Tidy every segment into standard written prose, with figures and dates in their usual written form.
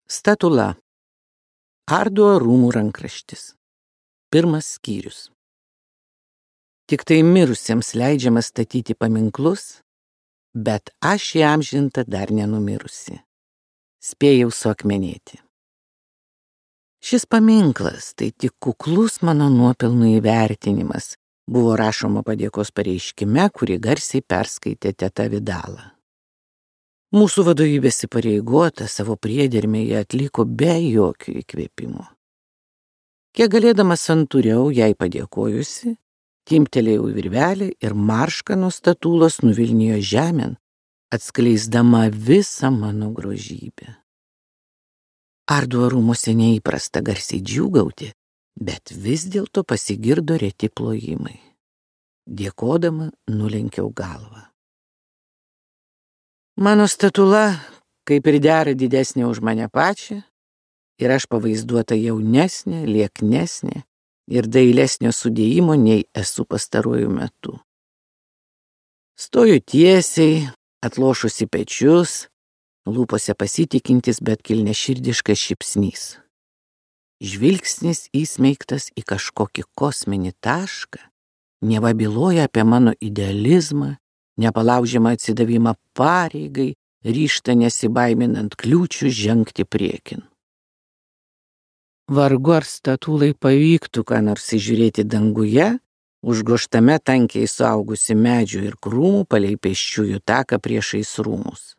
Statula. Arduo rūmų rankraštis. 1 skyrius. Tik tai mirusiems leidžiama statyti paminklus, bet aš įamžinta dar nenumirusi. Spėjau suakmenėti. Šis paminklas tai tik kuklus mano nuopelnų įvertinimas, buvo rašoma padėkos pareiškime, kurį garsiai perskaitė teta Vidala. Mūsų vadovybės įpareigota savo priedermėje atliko be jokių įkvėpimų. Kiek galėdama santūriau jai padėkojusi, timptelėjau virvelį ir marška nuo statulos nuvilnijo žemėn, atskleisdama visą mano grožybę. Arduo rūmuose neįprasta garsiai džiūgauti, bet vis dėlto pasigirdo reti plojimai. Dėkodama nulenkiau galvą. Mano statula, kaip ir dera, didesnė už mane pačią, ir aš pavaizduota jaunesnė, lieknesnė ir dailesnio sudėjimo nei esu pastaruoju metu. Stoju tiesiai, atlošusi pečius, lūpose pasitikintis, bet kilniaširdiškas šypsnys. Žvilgsnis įsmeigtas į kažkokį kosminį tašką, neva byloja apie mano idealizmą, nepalaužiamą atsidavimą pareigai, ryžtą nesibaiminant kliūčių žengti priekin. Vargu ar statulai pavyktų ką nors įžiūrėti danguje, užgoštame tankiai suaugusi medžių ir krūmų palei pėsčiųjų taką priešais rūmus.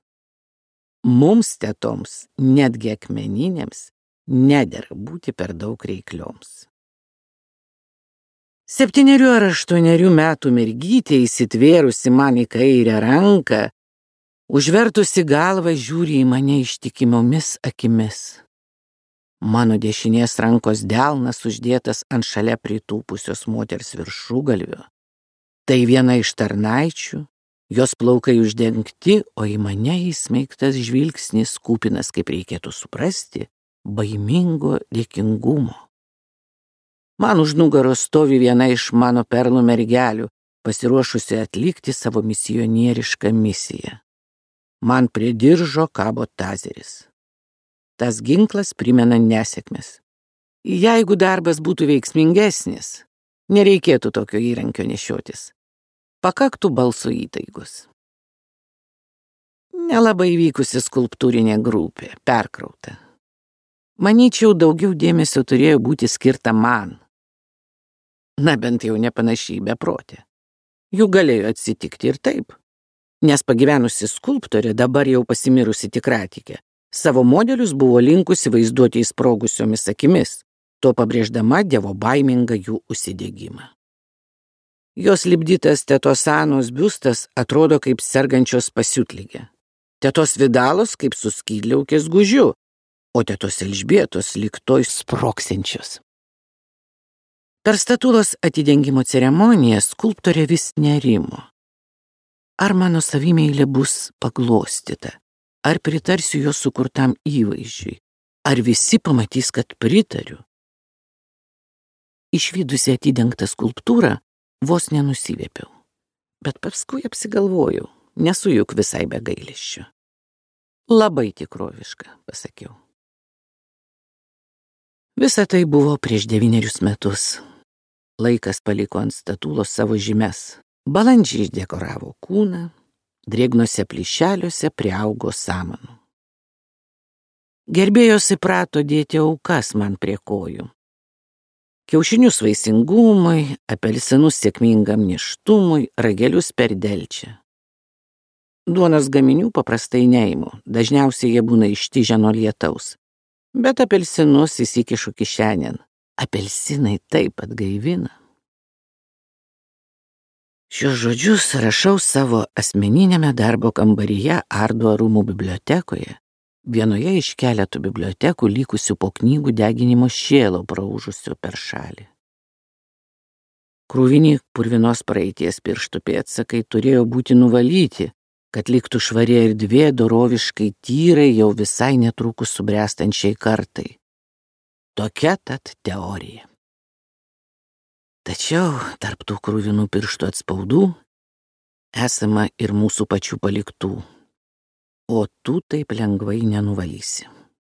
Mums tetoms, netgi akmeninėms, nedera būti per daug reiklioms. 7 ar 8 metų mergytė įsitvėrusi man į kairę ranką, užvertusi galvą žiūri į mane ištikimomis akimis. Mano dešinės rankos delnas uždėtas ant šalia pritūpusios moters viršugalvio. Tai viena iš tarnaičių, jos plaukai uždengti, o į mane įsmeigtas žvilgsnis kupinas, kaip reikėtų suprasti, baimingo dėkingumo. Man už nugaros stovi viena iš mano perlų mergelių, pasiruošusi atlikti savo misionierišką misiją. Man prie diržo kabo tazeris. Tas ginklas primena nesėkmes. Jeigu darbas būtų veiksmingesnis, nereikėtų tokio įrankio nešiotis. Pakaktų balso įtaigos. Nelabai vykusi skulptūrinė grupė, perkrauta. Manyčiau, daugiau dėmesio turėjo būti skirta man. Na, bent jau nepanašiai beprotė. Juk galėjo atsitikti ir taip. Nes pagyvenusi skulptorė, dabar jau pasimirusi tikratikė, savo modelius buvo linkusi vaizduoti įsprogusiomis akimis, to pabrėždama dievobaimingą jų užsidegimą. Jos lipdytas tetos Anos biustas atrodo kaip sergančios pasiutligė. Tetos Vidalos kaip su skydliaukės gužiu, o tetos Elžbietos lyg toj sproksinčios. Per statulos atidengimo ceremoniją skulptorė vis nerimo. Ar mano savimeilė bus paglostyta, ar pritarsiu jos sukurtam įvaizdžiui, ar visi pamatys, kad pritariu. Išvydusi atidengtą skulptūrą, vos nenusivėpiau, bet paskui apsigalvojau, nesu juk visai be gailesčio. Labai tikroviška, pasakiau. Visa tai buvo prieš 9 metus. Laikas paliko ant statulos savo žymes. Balandžiai išdekoravo kūną, drėgnose plyšeliuose priaugo samanų. Gerbėjos įprato dėti aukas man prie kojų. Kiaušinius vaisingumui, apelsinus sėkmingam nėštumui, ragelius per delčią. Duonos gaminių paprastai neimu, dažniausiai jie būna ištižę nuo lietaus. Bet apelsinus įsikišu kišenėn. Apelsinai taip atgaivina. Šios žodžius rašau savo asmeninėme darbo kambaryje Arduo rūmų bibliotekoje, vienoje iš keletų bibliotekų likusių po knygų deginimo šėlo praūžusio per šalį. Krūvini purvinos praeities pirštų pėdsakai turėjo būti nuvalyti, kad liktų švari erdvė doroviškai tyrai jau visai netrukus subręstančiai kartai. Tokia tad teorija. Tačiau tarp tų krūvinų pirštų atspaudų esama ir mūsų pačių paliktų, o tų taip lengvai nenuvalysi.